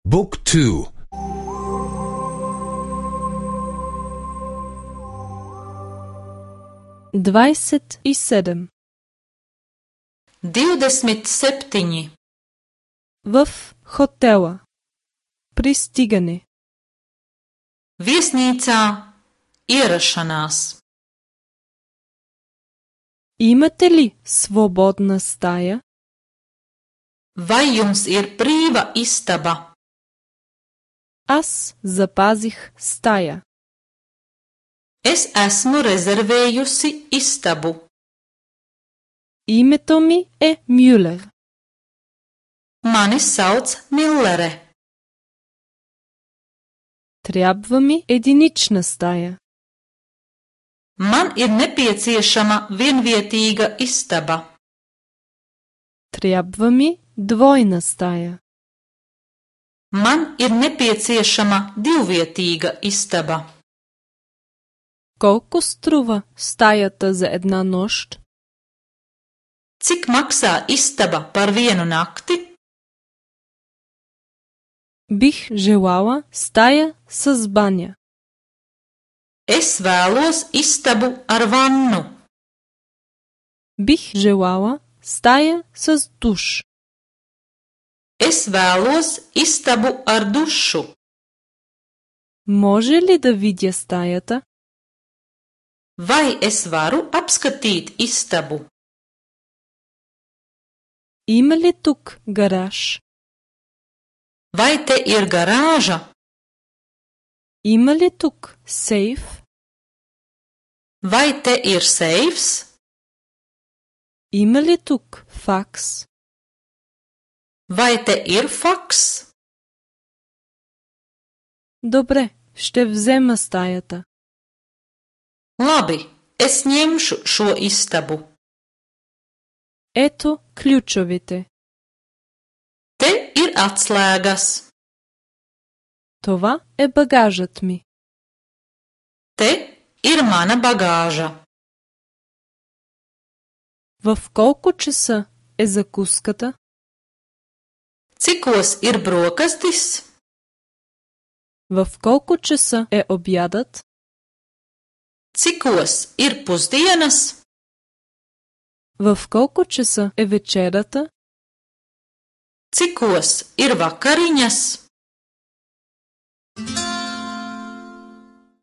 Book 2. 27. 27. В хотела. Пристигане. Viesnīcā ierašanās. Имате ли свободна стая? Vai jums ir brīva istaba? Аз запазих стая. Es esmu rezervējusi istabu. Името ми е Мюлер. Mani sauc Millere. Трябва ми единична стая. Man ir nepieciešama vienvietīga istaba. Трябва ми двойна стая. Man ir nepieciešama divvietīga istaba. Колко струва стаята за една нощ? Cik maksā istaba par vienu nakti? Бих желала стая с баня. Es vēlos istabu ar vannu. Бих желала стая с душ. Es vēlos istabu ar dušu. Може ли да видя стаята? Vai es varu apskatīt istabu? Има ли тук гараж? Vai te ir garāža? Има ли тук сейф? Vai te ir seifs? Има ли тук факс? Vai te ir faks? Добре, ще взема стаята. Labi, es ņemšu šo istabu. Ето ключовете. Te ir atslēgas. Това е багажът ми. Te ir mana bagāža. В колко часа е закуската? Cikos ir brokastis? В колко часа е обядът? Cikos ir pusdienas? В колко часа е вечерята? Cikos ir vakariņas?